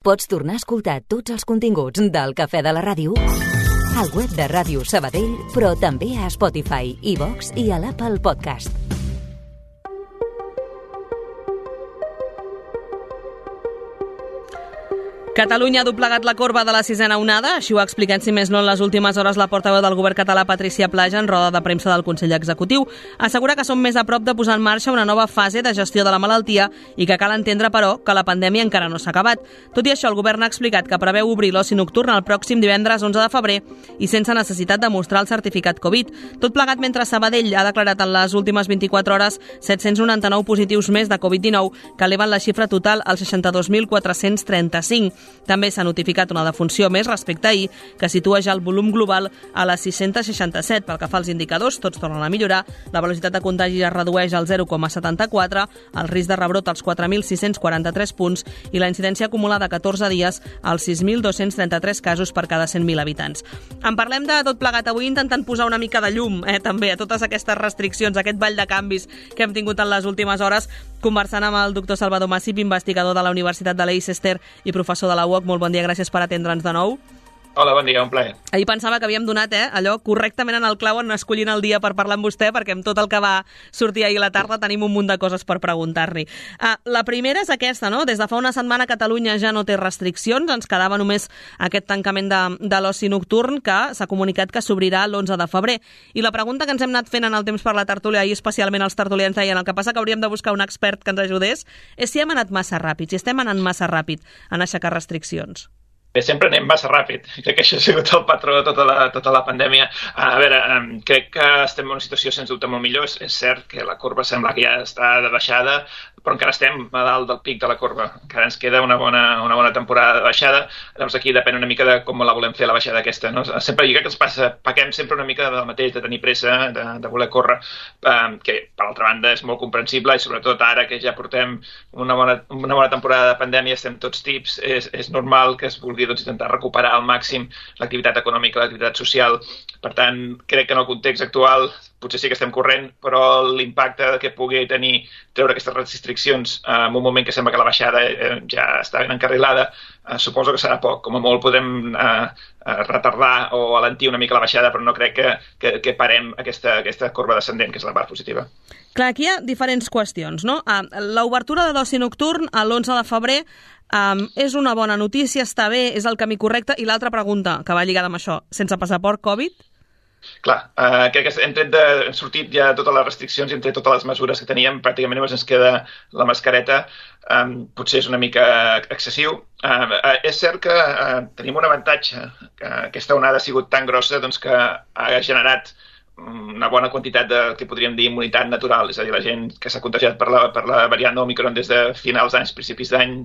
Pots tornar a escoltar tots els continguts del Cafè de la Ràdio al web de Ràdio Sabadell, però també a Spotify, iVox i a l'Apple Podcast. Catalunya ha doblegat la corba de la sisena onada, així ho ha explicat, si més no, en les últimes hores la portaveu del govern català, Patrícia Plaja, en roda de premsa del Consell Executiu. Assegura que som més a prop de posar en marxa una nova fase de gestió de la malaltia i que cal entendre, però, que la pandèmia encara no s'ha acabat. Tot i això, el govern ha explicat que preveu obrir l'oci nocturn el pròxim divendres 11 de febrer i sense necessitat de mostrar el certificat Covid. Tot plegat mentre Sabadell ha declarat en les últimes 24 hores 799 positius més de Covid-19, que eleven la xifra total als 62.435. També s'ha notificat una defunció més respecte a ahir, que situa ja el volum global a les 667. Pel que fa als indicadors, tots tornen a millorar. La velocitat de contagi es redueix al 0,74, el risc de rebrot als 4.643 punts i la incidència acumulada a 14 dies als 6.233 casos per cada 100.000 habitants. En parlem de tot plegat avui intentant posar una mica de llum també a totes aquestes restriccions, aquest ball de canvis que hem tingut en les últimes hores, conversant amb el doctor Salvador Massip, investigador de la Universitat de Leicester i professor de la UOC. Molt bon dia, gràcies per atendre'ns de nou. Hola, bon dia, un plaer. Ahir pensava que havíem donat allò correctament en el clau en escollint el dia per parlar amb vostè, perquè amb tot el que va sortir ahir a la tarda tenim un munt de coses per preguntar-li. La primera és aquesta, no? Des de fa una setmana Catalunya ja no té restriccions, ens quedava només aquest tancament de l'oci nocturn que s'ha comunicat que s'obrirà l'11 de febrer. I la pregunta que ens hem anat fent en el temps per la tertúlia, i especialment els tertulians deien el que passa que hauríem de buscar un expert que ens ajudés, és si hem anat massa ràpid, si estem anant massa ràpid en aixecar restriccions. Bé, sempre anem massa ràpid. Crec que això ha sigut el patró de tota la pandèmia. A veure, crec que estem en una situació sens dubte molt millor. És cert que la corba sembla que ja està de baixada, però encara estem a dalt del pic de la corba. Encara ens queda una bona temporada de baixada. Llavors aquí depèn una mica de com la volem fer, la baixada aquesta, no? Sempre jo crec que ens passa, pequem sempre una mica del mateix, de tenir pressa, de voler córrer, que per altra banda és molt comprensible i sobretot ara que ja portem una bona temporada de pandèmia, estem tots tips, és normal que es vulgui intentar recuperar al màxim l'activitat econòmica, l'activitat social. Per tant, crec que en el context actual potser sí que estem corrent, però l'impacte que pugui tenir treure aquestes restriccions en un moment que sembla que la baixada ja està ben encarrilada, suposo que serà poc. Com a molt podem retardar o alentir una mica la baixada, però no crec que parem aquesta corba descendent, que és la part positiva. Clar, aquí hi ha diferents qüestions, no? L'obertura de l'oci nocturn a l'11 de febrer és una bona notícia, està bé, és el camí correcte. I l'altra pregunta, que va lligada amb això, sense passaport Covid? Clar, crec que hem sortit ja totes les restriccions i hem tret totes les mesures que teníem, pràcticament només ens queda la mascareta, potser és una mica excessiu. És cert que tenim un avantatge, que aquesta onada ha sigut tan grossa que ha generat una bona quantitat de, que podríem dir, immunitat natural, és a dir, la gent que s'ha contagiat per la variant Omicron des de finals d'any, principis d'any,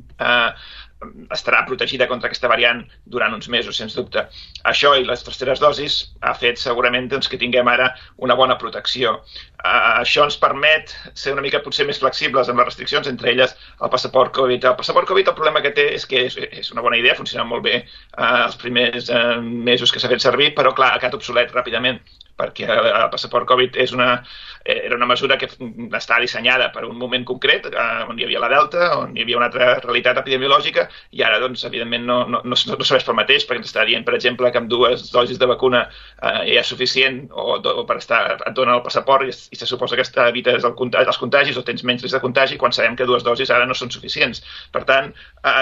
estarà protegida contra aquesta variant durant uns mesos, sens dubte. Això i les terceres dosis ha fet segurament que tinguem ara una bona protecció. Això ens permet ser una mica potser més flexibles amb les restriccions, entre elles el passaport Covid. El passaport Covid, el problema que té és que és una bona idea, funciona molt bé els primers mesos que s'ha fet servir, però clar, ha quedat obsolet ràpidament, perquè el passaport Covid era una mesura que està dissenyada per un moment concret, on hi havia la Delta, on hi havia una altra realitat epidemiològica, i ara, evidentment, no serveix pel mateix, perquè ens està dient, per exemple, que amb 2 dosis de vacuna ja és suficient, o per et dona el passaport i se suposa que evites els contagis o tens menys risc de contagi, quan sabem que 2 dosis ara no són suficients. Per tant,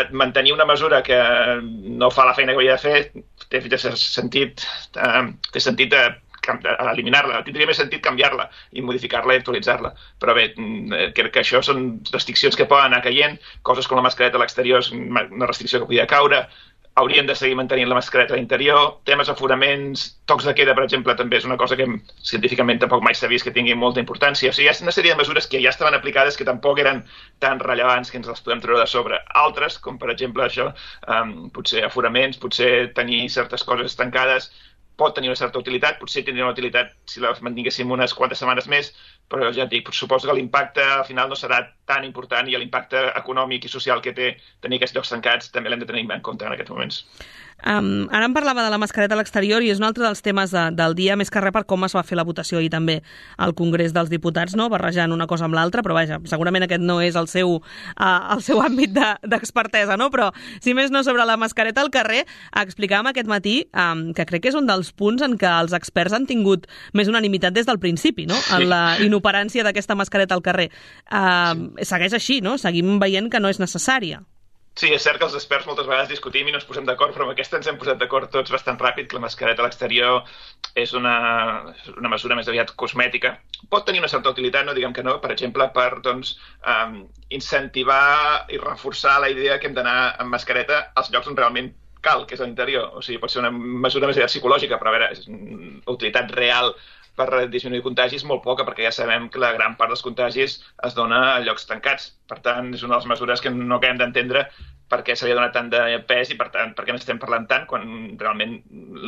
mantenir una mesura que no fa la feina que havia de fer té sentit eliminar-la, tindria més sentit canviar-la i modificar-la i actualitzar-la. Però bé, crec que això són restriccions que poden anar caient, coses com la mascareta a l'exterior és una restricció que podia caure, hauríem de seguir mantenint la mascareta a l'interior, temes aforaments, tocs de queda, per exemple, també és una cosa que científicament tampoc mai s'ha vist que tingui molta importància. O sigui, hi ha una sèrie de mesures que ja estaven aplicades que tampoc eren tan rellevants que ens les podem treure de sobre. Altres, com per exemple això, potser aforaments, potser tenir certes coses tancades, pot tenir una certa utilitat, potser tindria una utilitat si la mantinguéssim unes quantes setmanes més, però ja et dic, suposo que l'impacte al final no serà tan important i l'impacte econòmic i social que té tenir aquests llocs tancats també l'hem de tenir en compte en aquests moments. Ara em parlava de la mascareta a l'exterior i és un altre dels temes del dia, més que res per com es va fer la votació i també al Congrés dels Diputats, no? Barrejant una cosa amb l'altra, però vaja, segurament aquest no és el seu àmbit d'expertesa, no? Però, si més no, sobre la mascareta al carrer, explicàvem aquest matí que crec que és un dels punts en què els experts han tingut més unanimitat des del principi, no? En la inoperància d'aquesta mascareta al carrer. Segueix així, no? Seguim veient que no és necessària. Sí, és cert que els experts moltes vegades discutim i no ens posem d'acord, però amb aquesta ens hem posat d'acord tots bastant ràpid, que la mascareta a l'exterior és una mesura més aviat cosmètica. Pot tenir una certa utilitat, no diguem que no, per exemple, per incentivar i reforçar la idea que hem d'anar amb mascareta als llocs on realment cal, que és a l'interior. O sigui, pot ser una mesura més aviat psicològica, però a veure, és una utilitat real per disminuir contagis molt poca, perquè ja sabem que la gran part dels contagis es dona a llocs tancats. Per tant, és una de les mesures que no acabem d'entendre per què se li ha donat tant de pes i, per tant, per què n'estem parlant tant quan realment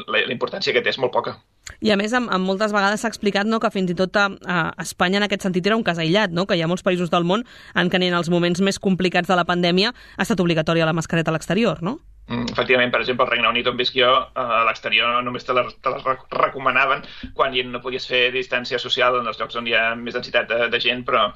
la importància que té és molt poca. I a més, moltes vegades s'ha explicat, no, que fins i tot a Espanya en aquest sentit era un cas aïllat, no? Que hi ha molts països del món en què ni en els moments més complicats de la pandèmia ha estat obligatòria la mascareta a l'exterior, no? Efectivament, per exemple, al Regne Unit on visc jo, a l'exterior només te les recomanaven quan no podies fer distància social en els llocs on hi ha més densitat de gent, però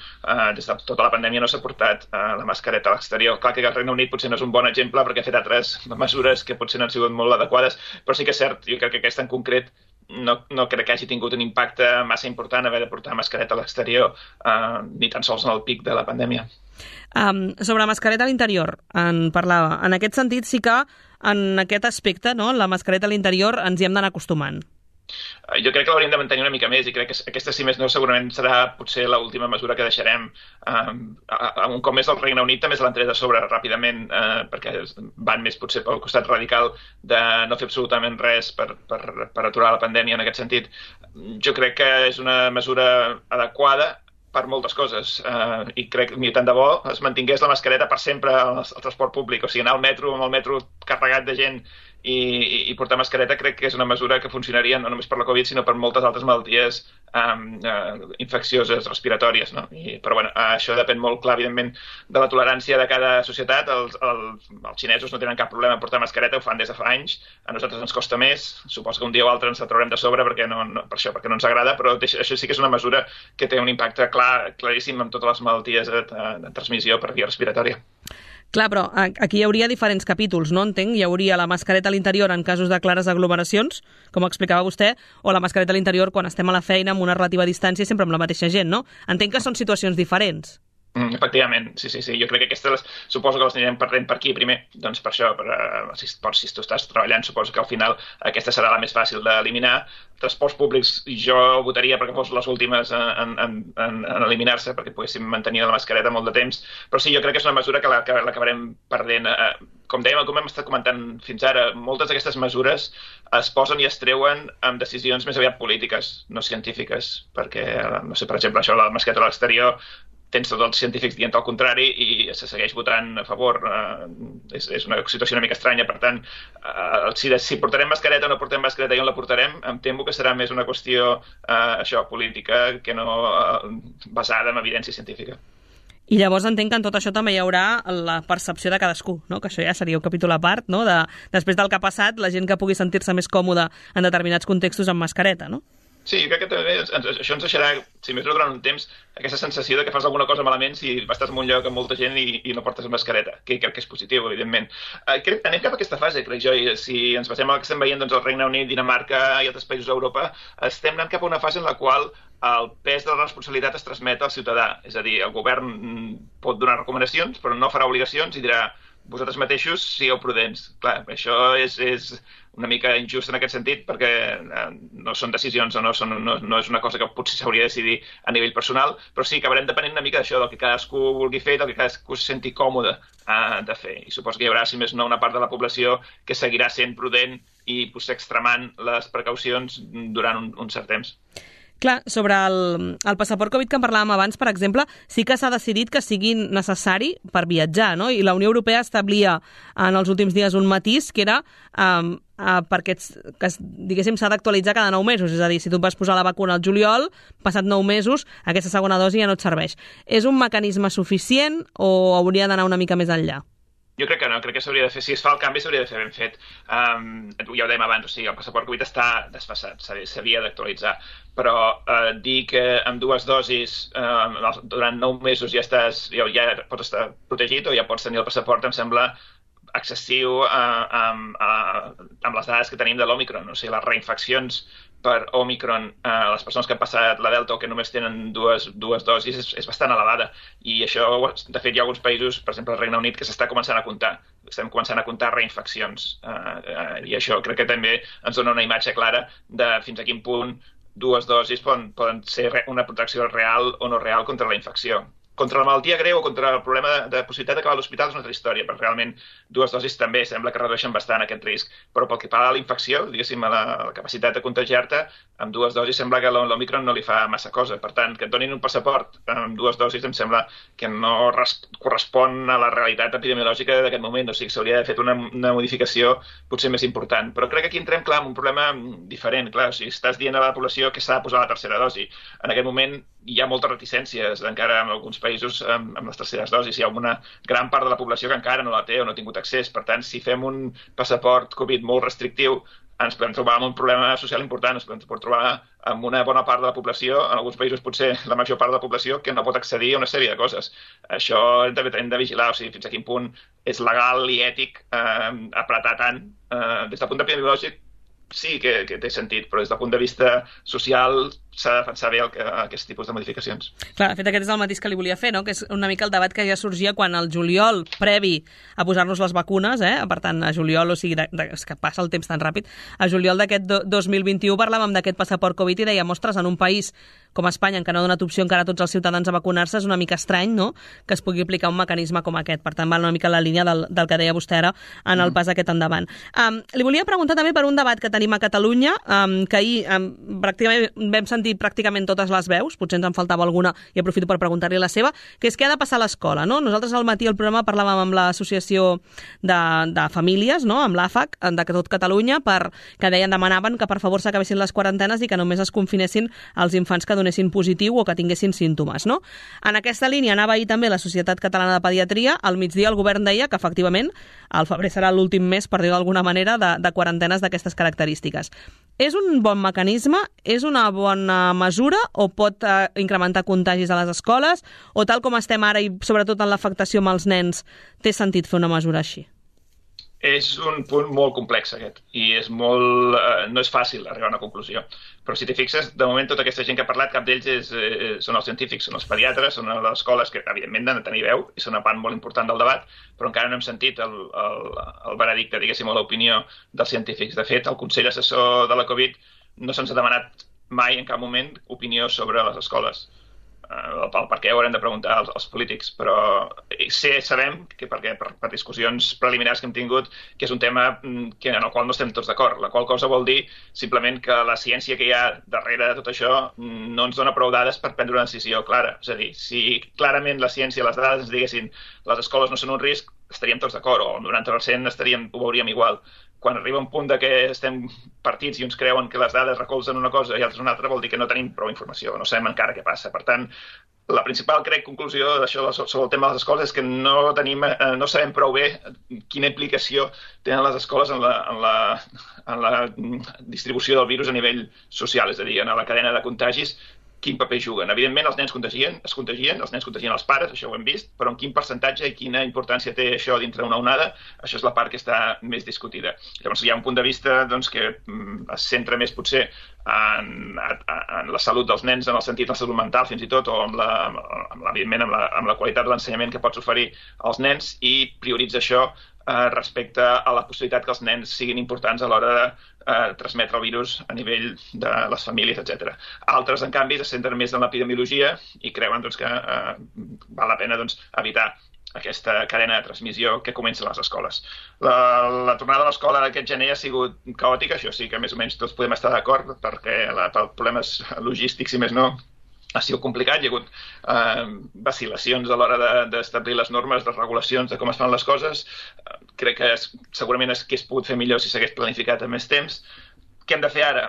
des de tota la pandèmia no s'ha portat la mascareta a l'exterior. Clar que el Regne Unit potser no és un bon exemple perquè ha fet altres mesures que potser no han sigut molt adequades, però sí que és cert, jo crec que aquesta en concret no crec que hagi tingut un impacte massa important haver de portar mascareta a l'exterior, ni tan sols en el pic de la pandèmia. Sobre mascareta a l'interior, en parlava. En aquest sentit sí que en aquest aspecte, no, la mascareta a l'interior ens hi hem d'anar acostumant. Jo crec que l'hauríem de mantenir una mica més i crec que aquesta, si més no, segurament serà potser l'última mesura que deixarem. Un cop més el Regne Unit també se l'han tret a sobre ràpidament perquè van més potser pel costat radical de no fer absolutament res per aturar la pandèmia en aquest sentit. Jo crec que és una mesura adequada per moltes coses i crec que tant de bo es mantingués la mascareta per sempre al transport públic, o sigui, anar al metro amb el metro carregat de gent i portar mascareta crec que és una mesura que funcionaria no només per la Covid sinó per moltes altres malalties infeccioses, respiratòries, no? Però bueno, això depèn molt clar, evidentment, de la tolerància de cada societat. Els xinesos no tenen cap problema en portar mascareta, ho fan des de fa anys. A nosaltres ens costa més, suposo que un dia o altre ens la traurem de sobre perquè no ens agrada, però això sí que és una mesura que té un impacte claríssim en totes les malalties de transmissió per via respiratòria. Clar, però aquí hi hauria diferents capítols, no entenc? Hi hauria la mascareta a l'interior en casos de clares aglomeracions, com explicava vostè, o la mascareta a l'interior quan estem a la feina amb una relativa distància sempre amb la mateixa gent, no? Entenc que són situacions diferents. Efectivament, sí. Jo crec que aquestes suposo que les anirem perdent per aquí primer, doncs per això, si tu estàs treballant, suposo que al final aquesta serà la més fàcil d'eliminar. Transports públics jo votaria perquè fos les últimes en eliminar-se, perquè poguéssim mantenir la mascareta molt de temps, però sí, jo crec que és una mesura que l'acabarem perdent. Com dèiem, com hem estat comentant fins ara, moltes d'aquestes mesures es posen i es treuen amb decisions més aviat polítiques, no científiques, perquè, no sé, per exemple, això de la mascareta a l'exterior tens tots els científics dient el contrari i se segueix votant a favor. És una situació una mica estranya, per tant, si portarem mascareta o no portem mascareta i on la portarem, em temo que serà més una qüestió política que no basada en evidència científica. I llavors entenc que en tot això també hi haurà la percepció de cadascú, no? Que això ja seria un capítol a part, no? Després del que ha passat, la gent que pugui sentir-se més còmoda en determinats contextos amb mascareta, no? Sí, jo crec que també això ens deixarà, si més no durant un temps, aquesta sensació de que fas alguna cosa malament si estàs en un lloc amb molta gent i no portes mascareta, que crec que és positiu, evidentment. Anem cap a aquesta fase, crec jo, i si ens basem en el que estem veient, doncs el Regne Unit, Dinamarca i altres països d'Europa, estem anant cap a una fase en la qual el pes de la responsabilitat es transmet al ciutadà. És a dir, el govern pot donar recomanacions, però no farà obligacions i dirà vosaltres mateixos sigueu prudents. Clar, això és una mica injust en aquest sentit perquè no són decisions o no és una cosa que potser s'hauria de decidir a nivell personal, però sí que acabarem depenent una mica d'això, del que cadascú vulgui fer, del que cadascú se senti còmode de fer. I suposo que hi haurà, si més no, una part de la població que seguirà sent prudent i potser extremant les precaucions durant un cert temps. Clar, sobre el passaport Covid que en parlàvem abans, per exemple, sí que s'ha decidit que sigui necessari per viatjar, no? I la Unió Europea establia en els últims dies un matís que era perquè diguéssim s'ha d'actualitzar cada 9 mesos, és a dir, si tu et vas posar la vacuna al juliol, passat 9 mesos, aquesta segona dosi ja no et serveix. És un mecanisme suficient o hauria d'anar una mica més enllà? Jo crec que no, crec que s'hauria de fer, si es fa el canvi s'hauria de fer ben fet. Ja ho dèiem abans, o sigui, el passaport Covid està desfasat, s'havia d'actualitzar, però dir que amb 2 dosis durant 9 mesos ja pots estar protegit o ja pots tenir el passaport em sembla excessiu amb les dades que tenim de l'Omicron. O sigui, les reinfeccions per Omicron, les persones que han passat la Delta o que només tenen dues dosis és bastant elevada. I això, de fet, hi ha alguns països, per exemple el Regne Unit, que s'està començant a comptar. Estem començant a comptar reinfeccions. I això crec que també ens dona una imatge clara de fins a quin punt 2 dosis poden ser una protecció real o no real contra la infecció. Contra la malaltia greu o contra el problema de possibilitat d'acabar a l'hospital és una altra història, perquè realment 2 dosis també sembla que redueixen bastant aquest risc. Però pel que fa a la infecció, diguéssim, a la capacitat de contagiar-te, amb 2 dosis sembla que l'Omicron no li fa massa cosa. Per tant, que et donin un passaport amb 2 dosis em sembla que no correspon a la realitat epidemiològica d'aquest moment. O sigui, s'hauria de fer una modificació potser més important. Però crec que aquí entrem, clar, en un problema diferent. Clar, o sigui, estàs dient a la població que s'ha de posar la tercera dosi. En aquest moment hi ha moltes reticències encara en alguns països amb les terceres dosis. Hi ha una gran part de la població que encara no la té o no ha tingut accés. Per tant, si fem un passaport Covid molt restrictiu, ens podem trobar amb un problema social important. Ens podem trobar amb una bona part de la població, en alguns països potser la major part de la població, que no pot accedir a una sèrie de coses. Això hem de vigilar, o sigui, fins a quin punt és legal i ètic apretar tant. Des del punt epidemiològic sí que té sentit, però des del punt de vista social s'ha de defensar bé aquest tipus de modificacions. Clar, de fet, aquest és el mateix que li volia fer, no? Que és una mica el debat que ja sorgia quan el juliol, previ a posar-nos les vacunes, per tant, a juliol, o sigui, és que passa el temps tan ràpid, a juliol d'aquest 2021 parlàvem d'aquest passaport Covid i dèiem, ostres, en un país com Espanya, en què no ha donat opció encara a tots els ciutadans a vacunar-se, és una mica estrany, no?, que es pugui aplicar un mecanisme com aquest. Per tant, va una mica la línia del que deia vostè ara en el pas aquest endavant. Li volia preguntar també per un debat que tenim a Catalunya, que ahir pràcticament vam sentir pràcticament totes les veus, potser ens en faltava alguna i aprofito per preguntar-li la seva, que és què ha de passar a l'escola, no? Nosaltres al matí al programa parlàvem amb l'associació de famílies, no?, amb l'AFAC, de tot Catalunya, que demanaven que per favor s'acabessin les quarantenes i que només es confinessin els infants que donessin positiu o que tinguessin símptomes, no? En aquesta línia anava ahir també la Societat Catalana de Pediatria. Al migdia el govern deia que efectivament el febrer serà l'últim mes, per dir-ho d'alguna manera, de quarantenes d'aquestes característiques. És un bon mecanisme? És una bona mesura? O pot incrementar contagis a les escoles? O tal com estem ara i sobretot en l'afectació amb els nens, té sentit fer una mesura així? És un punt molt complex aquest i no és fàcil arribar a una conclusió. Però si t'hi fixes, de moment tota aquesta gent que ha parlat, cap d'ells són els científics, són els pediatres, són les escoles que evidentment han de tenir veu i són una part molt important del debat, però encara no hem sentit el veredicte, diguéssim, o l'opinió dels científics. De fet, el Consell Assessor de la Covid no se'ns ha demanat mai en cap moment opinió sobre les escoles. Per què ho haurem de preguntar als polítics, però sabem que per discussions preliminars que hem tingut que és un tema en el qual no estem tots d'acord, la qual cosa vol dir simplement que la ciència que hi ha darrere de tot això no ens dona prou dades per prendre una decisió clara. És a dir, si clarament la ciència, les dades ens diguessin les escoles no són un risc, estaríem tots d'acord, o el 90% ho veuríem igual. Quan arriba un punt que estem partits i uns creuen que les dades recolzen una cosa i altres una altra, vol dir que no tenim prou informació, no sabem encara què passa. Per tant, la principal, conclusió d'això sobre el tema de les escoles és que no sabem prou bé quina implicació tenen les escoles en la distribució del virus a nivell social, és a dir, en la cadena de contagis, quin paper juguen. Evidentment, els nens es contagien, els nens contagien els pares, això ho hem vist, però en quin percentatge i quina importància té això dintre d'una onada, això és la part que està més discutida. Llavors, hi ha un punt de vista que es centra més potser en la salut dels nens, en el sentit de la salut mental fins i tot, o evidentment amb la qualitat de l'ensenyament que pots oferir als nens i prioritza això respecte a la possibilitat que els nens siguin importants a l'hora de transmetre el virus a nivell de les famílies, etc. Altres, en canvi, es centren més en l'epidemiologia i creuen que val la pena evitar aquesta cadena de transmissió que comença a les escoles. La tornada a l'escola d'aquest gener ha sigut caòtica, això sí que més o menys tots podem estar d'acord, perquè per problemes logístics, si més no, ha sigut complicat, hi ha hagut vacil·lacions a l'hora d'establir les normes, les regulacions de com es fan les coses. Crec que segurament s'hagués pogut fer millor si s'hagués planificat amb més temps. què hem de fer ara?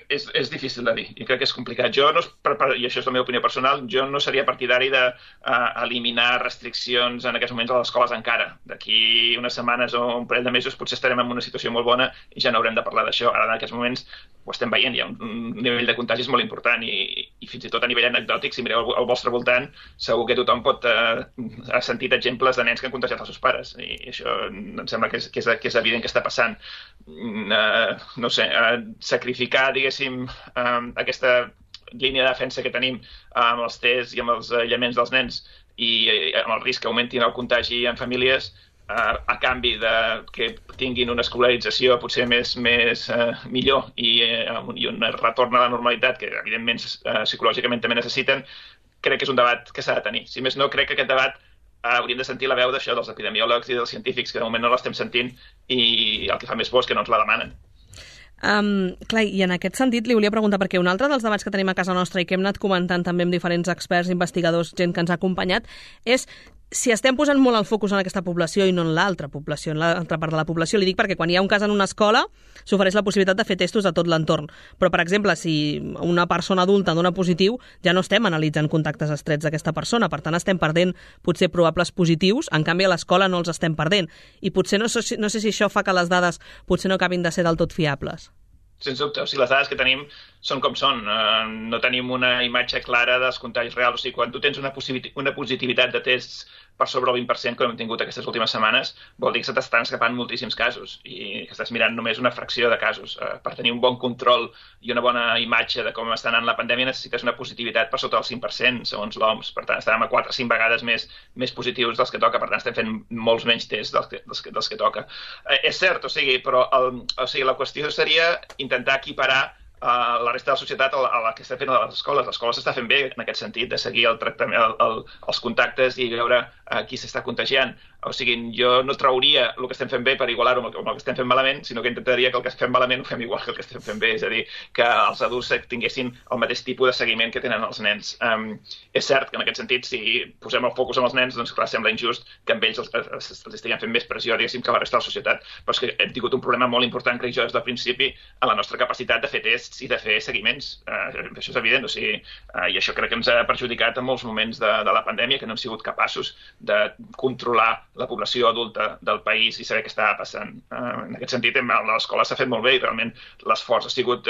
És difícil de dir i crec que és complicat. Jo, i això és la meva opinió personal, jo no seria partidari d'eliminar restriccions en aquests moments a les escoles encara. D'aquí unes setmanes o un parell de mesos potser estarem en una situació molt bona i ja no haurem de parlar d'això. Ara en aquests moments ho estem veient, hi ha un nivell de contagis molt important i fins i tot a nivell anecdòtic, si mireu al vostre voltant, segur que tothom ha sentit exemples de nens que han contagiat els seus pares i això em sembla que és evident que està passant. No sé, sacrificar, diguéssim, aquesta línia de defensa que tenim amb els tests i amb els aïllaments dels nens i amb el risc que augmentin el contagi en famílies a canvi de que tinguin una escolarització potser millor i un retorn a la normalitat que evidentment psicològicament també necessiten, crec que és un debat que s'ha de tenir. Si més no, crec que aquest debat hauríem de sentir la veu d'això dels epidemiòlegs i dels científics, que de moment no l'estem sentint i el que fa més por és que no ens la demanen. Clar, i en aquest sentit li volia preguntar, perquè un altre dels debats que tenim a casa nostra i que hem anat comentant també amb diferents experts, investigadors, gent que ens ha acompanyat, és si estem posant molt el focus en aquesta població i no en l'altra població, en l'altra part de la població. Li dic perquè quan hi ha un cas en una escola s'ofereix la possibilitat de fer testos a tot l'entorn. Però, per exemple, si una persona adulta dona positiu, ja no estem analitzant contactes estrets d'aquesta persona. Per tant, estem perdent potser probables positius, en canvi a l'escola no els estem perdent. I potser no sé si això fa que les dades potser no acabin de ser del tot fiables. Sens dubte, o sigui, les dades que tenim són com són. No tenim una imatge clara dels contagis reals. O sigui, quan tu tens una positivitat de tests per sobre el 20% que hem tingut aquestes últimes setmanes, vol dir que se t'estan escapant moltíssims casos i que estàs mirant només una fracció de casos. Per tenir un bon control i una bona imatge de com està anant la pandèmia necessites una positivitat per sota del 5%, segons l'OMS. Per tant, estàvem a 4 o 5 vegades més positius dels que toca. Per tant, estem fent molts menys tests dels que toca. És cert, però la qüestió seria intentar equiparar la resta de la societat a la que està fent a les escoles. L'escola s'està fent bé en aquest sentit, de seguir el tractament, els contactes i veure qui s'està contagiant. O sigui, jo no trauria el que estem fent bé per igualar-ho amb el que estem fent malament, sinó que intentaria que el que fem malament ho fem igual que el que estem fent bé, és a dir, que els adults tinguessin el mateix tipus de seguiment que tenen els nens. És cert que en aquest sentit, si posem el focus en els nens, doncs clar, sembla injust que amb ells els estiguem fent més pressió, diguéssim, que la resta de la societat. Però és que hem tingut un problema molt important, crec jo, des del principi, en la nostra capacitat de fer tests i de fer seguiments. Això és evident, o sigui, i això crec que ens ha perjudicat en molts moments de la pandèmia, que no hem sigut capaços de controlar la població adulta del país i saber què estava passant. En aquest sentit, l'escola s'ha fet molt bé i realment l'esforç ha sigut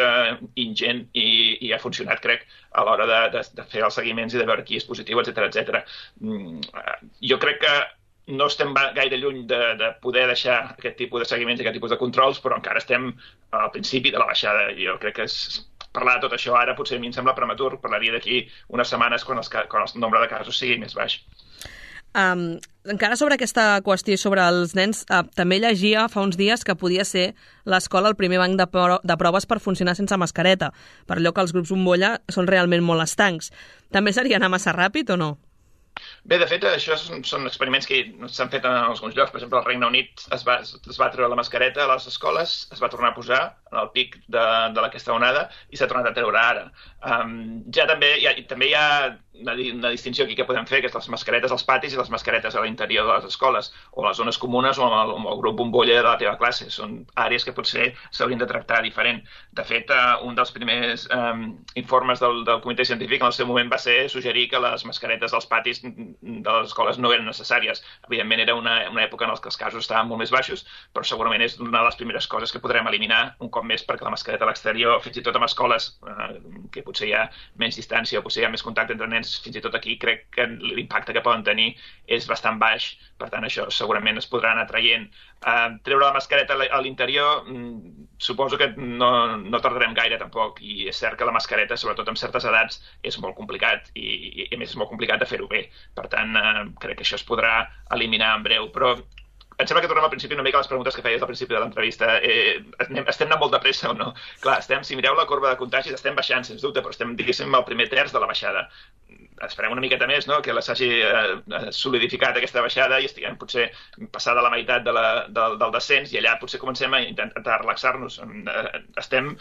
ingent i ha funcionat, crec, a l'hora de fer els seguiments i de veure qui és positiu, etc. Jo crec que no estem gaire lluny de poder deixar aquest tipus de seguiments i aquest tipus de controls, però encara estem al principi de la baixada. Jo crec que parlar de tot això ara potser a mi em sembla prematur. Parlaria d'aquí unes setmanes quan el nombre de casos sigui més baix. Encara sobre aquesta qüestió sobre els nens, també llegia fa uns dies que podia ser l'escola el primer banc de proves per funcionar sense mascareta, per allò que els grups bombolla són realment molt estancs. També seria anar massa ràpid o no? Bé, de fet, això són experiments que s'han fet en alguns llocs. Per exemple, al Regne Unit es va treure la mascareta a les escoles, es va tornar a posar en el pic d'aquesta onada i s'ha tornat a treure ara. També hi ha una distinció aquí que podem fer, que és les mascaretes als patis i les mascaretes a l'interior de les escoles, o les zones comunes o amb el grup bombolla de la teva classe. Són àrees que potser s'haurien de tractar diferent. De fet, un dels primers informes del comitè científic en el seu moment va ser suggerir que les mascaretes als patis de les escoles no eren necessàries. Evidentment era una època en què els casos estaven molt més baixos, però segurament és una de les primeres coses que podrem eliminar un cop més, perquè la mascareta a l'exterior, fins i tot en escoles que potser hi ha menys distància o potser hi ha més contacte entre nens, fins i tot aquí crec que l'impacte que poden tenir és bastant baix. Per tant, això segurament es podrà anar traient. Treure la mascareta a l'interior suposo que no tardarem gaire tampoc, i és cert que la mascareta, sobretot en certes edats, és molt complicat i a més és molt complicat de fer-ho bé. Per tant, crec que això es podrà eliminar en breu, però em sembla que tornem al principi una mica a les preguntes que feies al principi de l'entrevista. Estem anant molt de pressa o no? Clar, si mireu la corba de contagis, estem baixant, sens dubte, però estem, diguéssim, al primer terç de la baixada. Esperem una miqueta més, no?, que s'hagi solidificat aquesta baixada i estiguem potser passada la meitat del descens i allà potser comencem a intentar relaxar-nos. Estem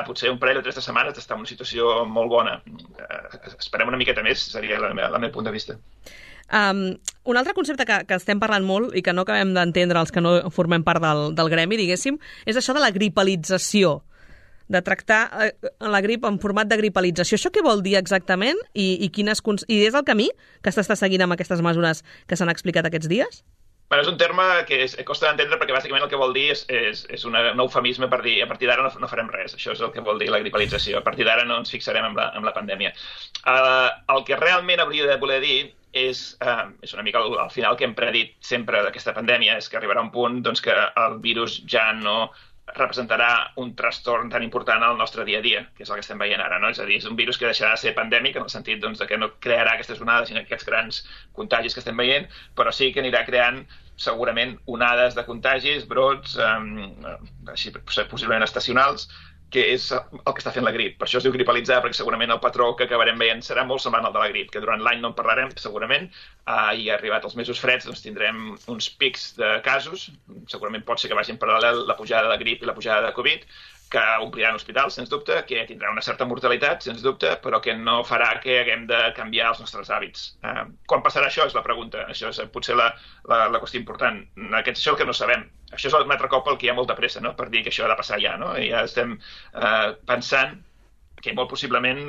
potser un parell o 3 de setmanes d'estar en una situació molt bona. Esperem una miqueta més, seria el meu punt de vista. Un altre concepte que estem parlant molt i que no acabem d'entendre els que no formem part del gremi, diguéssim, és això de la gripalització de tractar la grip en format de gripalització. Això què vol dir exactament i és el camí que s'està seguint amb aquestes mesures que s'han explicat aquests dies? És un terme que costa d'entendre perquè bàsicament el que vol dir és un eufemisme per dir a partir d'ara no farem res. Això és el que vol dir la gripalització. A partir d'ara no ens fixarem en la pandèmia. El que realment hauria de voler dir és una mica al final que hem predit sempre d'aquesta pandèmia, és que arribarà un punt que el virus ja no representarà un trastorn tan important al nostre dia a dia, que és el que estem veient ara, no? És a dir, és un virus que deixarà de ser pandèmic en el sentit de que no crearà aquestes onades i aquests grans contagis que estem veient, però sí que anirà creant segurament onades de contagis, brots, així possiblement estacionals, que és el que està fent la grip. Per això es diu gripalitzar, perquè segurament el patró que acabarem veient serà molt semblant al de la grip, que durant l'any no en parlarem, segurament, i arribat els mesos freds tindrem uns pics de casos, segurament pot ser que vagi en paral·lel la pujada de grip i la pujada de Covid, que ompliran hospitals, sens dubte, que tindrà una certa mortalitat, sens dubte, però que no farà que haguem de canviar els nostres hàbits. Quan passarà això és la pregunta. Això és potser la qüestió important. Això és el que no sabem. Això és un altre cop el que hi ha molta pressa, no?, per dir que això ha de passar ja, no? I ja estem pensant que molt possiblement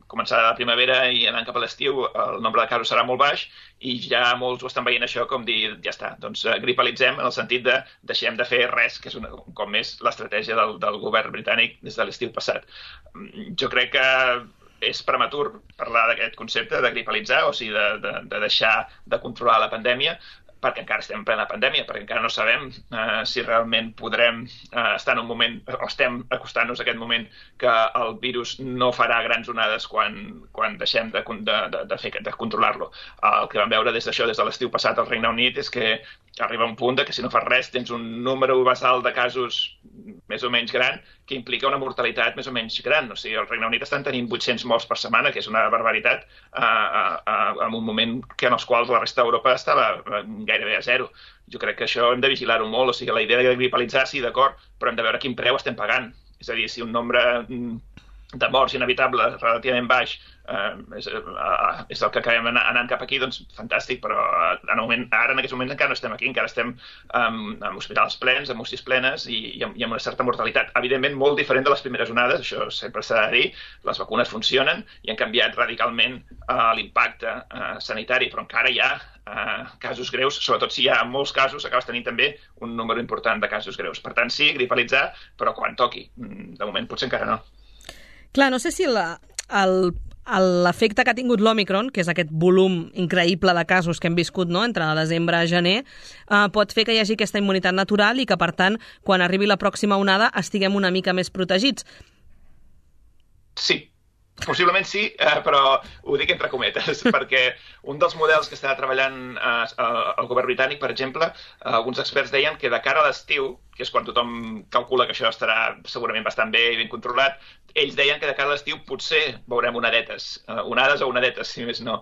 començarà la primavera i anant cap a l'estiu el nombre de casos serà molt baix i ja molts ho estan veient això com dir, ja està, doncs gripalitzem en el sentit de deixem de fer res, que és un cop més l'estratègia del govern britànic des de l'estiu passat. Jo crec que és prematur parlar d'aquest concepte de gripalitzar, o sigui, de deixar de controlar la pandèmia, perquè encara estem en plena pandèmia, perquè encara no sabem si realment podrem estar en un moment, o estem acostant-nos a aquest moment que el virus no farà grans onades quan deixem de controlar-lo. El que vam veure des de l'estiu passat al Regne Unit és que arriba un punt que si no fas res tens un número basal de casos més o menys gran que implica una mortalitat més o menys gran. O sigui, al Regne Unit estan tenint 800 morts per setmana, que és una barbaritat, en un moment que en els quals la resta d'Europa estava gairebé a zero. Jo crec que això hem de vigilar-ho molt. O sigui, la idea de gripalitzar, sí, d'acord, però hem de veure quin preu estem pagant. És a dir, si un nombre de morts inevitable relativament baix és el que acabem anant cap aquí, doncs fantàstic, però ara en aquests moments encara no estem aquí, encara estem en hospitals plens, en UCIs plenes i amb una certa mortalitat. Evidentment, molt diferent de les primeres onades, això sempre s'ha de dir, les vacunes funcionen i han canviat radicalment l'impacte sanitari, però encara hi ha casos greus, sobretot si hi ha molts casos, acabes tenint també un número important de casos greus. Per tant, sí, gripalitzar, però quan toqui. De moment potser encara no. Clar, no sé si l'efecte que ha tingut l'Òmicron, que és aquest volum increïble de casos que hem viscut, no?, entre desembre i gener, pot fer que hi hagi aquesta immunitat natural i que, per tant, quan arribi la pròxima onada estiguem una mica més protegits. Sí, possiblement sí, però ho dic entre cometes, perquè un dels models que està treballant el govern britànic, per exemple, alguns experts deien que de cara a l'estiu, que és quan tothom calcula que això estarà segurament bastant bé i ben controlat, ells deien que de cara a l'estiu potser veurem onadetes, onades o onadetes, si més no,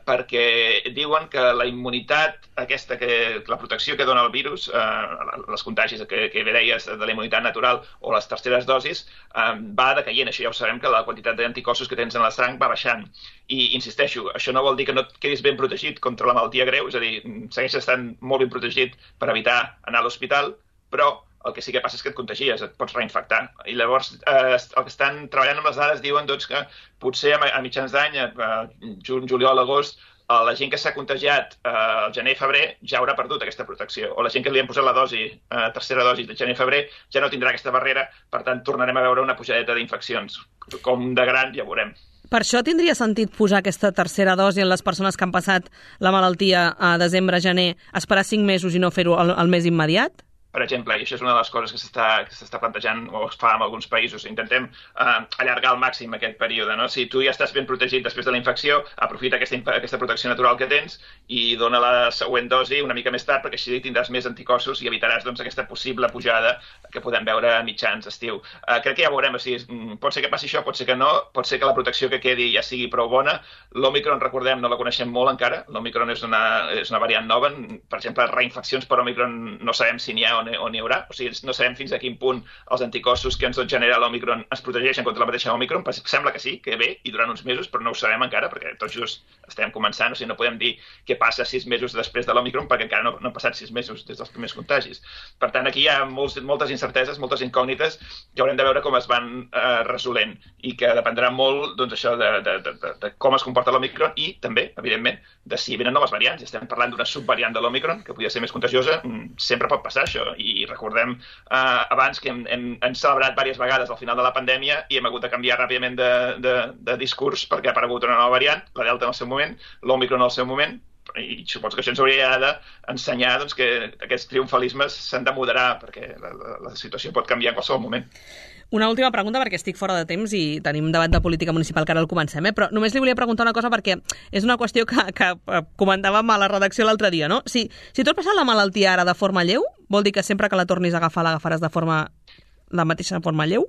perquè diuen que la immunitat aquesta, la protecció que dona el virus, les contagis que bé deies de la immunitat natural o les terceres dosis, va decaient. Això ja ho sabem, que la quantitat d'anticossos que tens en la sang va baixant. I insisteixo, això no vol dir que no et quedis ben protegit contra la malaltia greu, és a dir, segueixes estant molt ben protegit per evitar anar a l'hospital, però el que sí que passa és que et contagies, et pots reinfectar. I llavors el que estan treballant amb les dades diuen que potser a mitjans d'any, juny, juliol, agost, la gent que s'ha contagiat al gener i febrer ja haurà perdut aquesta protecció. O la gent que li han posat la tercera dosi de gener i febrer ja no tindrà aquesta barrera, per tant tornarem a veure una pujadeta d'infeccions. Com de gran ja veurem. Per això tindria sentit posar aquesta tercera dosi en les persones que han passat la malaltia a desembre-gener, esperar 5 mesos i no fer-ho al mes immediat? Per exemple, i això és una de les coses que s'està plantejant o es fa en alguns països, intentem allargar al màxim aquest període, no? Si tu ja estàs ben protegit després de la infecció, aprofita aquesta protecció natural que tens i dona la següent dosi una mica més tard, perquè així tindràs més anticossos i evitaràs aquesta possible pujada que podem veure a mitjans estiu. Crec que ja veurem, pot ser que passi això, pot ser que no, pot ser que la protecció que quedi ja sigui prou bona. L'Òmicron, recordem, no la coneixem molt encara. L'Òmicron és una variant nova. Per exemple, reinfeccions per Òmicron no sabem si n'hi ha o n'hi haurà. O sigui, no sabem fins a quin punt els anticossos que ens genera l'Òmicron es protegeixen contra la mateixa Òmicron. Sembla que sí, que bé, i durant uns mesos, però no ho sabem encara, perquè tot just estem començant. O sigui, no podem dir què passa 6 mesos després de l'Òmicron, perquè encara no han passat 6 mesos des dels primers contagis. Per tant, aquí hi ha moltes incerteses, moltes incògnites, que haurem de veure com es van resolent, i que dependrà molt, doncs, això de com es comporta l'Òmicron, i també, evidentment, de si venen noves variants. Estem parlant d'una subvariant de l'Òmicron, que podria ser més contagiosa. Sempre pot passar això, i recordem abans que hem celebrat diverses vegades al final de la pandèmia i hem hagut de canviar ràpidament de discurs perquè ha aparegut una nova variant, la Delta en el seu moment, l'Òmicron en el seu moment, i suposo que això ens hauria d'ensenyar doncs, que aquests triomfalismes s'han de moderar, perquè la situació pot canviar en qualsevol moment. Una última pregunta, perquè estic fora de temps i tenim un debat de política municipal que ara el comencem, però només li volia preguntar una cosa perquè és una qüestió que comentàvem a la redacció l'altre dia, no? Si tu has passat la malaltia ara de forma lleu, vol dir que sempre que la tornis a agafar l'agafaràs de la mateixa forma lleu?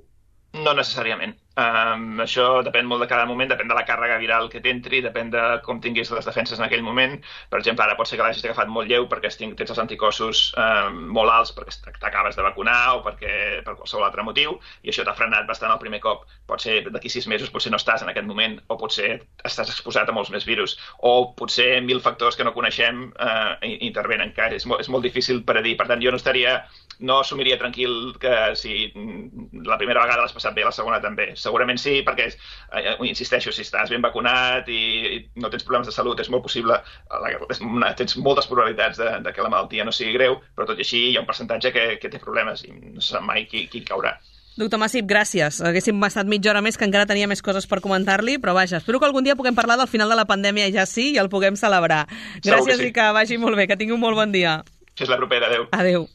No necessàriament. Això depèn molt de cada moment, depèn de la càrrega viral que t'entri, depèn de com tinguis les defenses en aquell moment. Per exemple, ara pot ser que l'hagis agafat molt lleu perquè tens els anticossos molt alts perquè t'acabes de vacunar o per qualsevol altre motiu, i això t'ha frenat bastant el primer cop. Pot ser d'aquí 6 mesos, potser no estàs en aquest moment, o potser estàs exposat a molts més virus, o potser 1000 factors que no coneixem intervenen encara. És molt difícil per a dir. Per tant, jo no assumiria tranquil que si la primera vegada l'has passat bé, la segona també. Segurament sí, perquè, insisteixo, si estàs ben vacunat i no tens problemes de salut, és molt possible, tens moltes probabilitats de que la malaltia no sigui greu, però tot i així hi ha un percentatge que té problemes i no se sap mai qui caurà. Doctor Massip, gràcies. Haguéssim estat mitja hora més, que encara tenia més coses per comentar-li, però vaja, espero que algun dia puguem parlar del final de la pandèmia i ja sí, i el puguem celebrar. Gràcies i que vagi molt bé, que tingui un molt bon dia. Fins la propera, adeu. Adeu.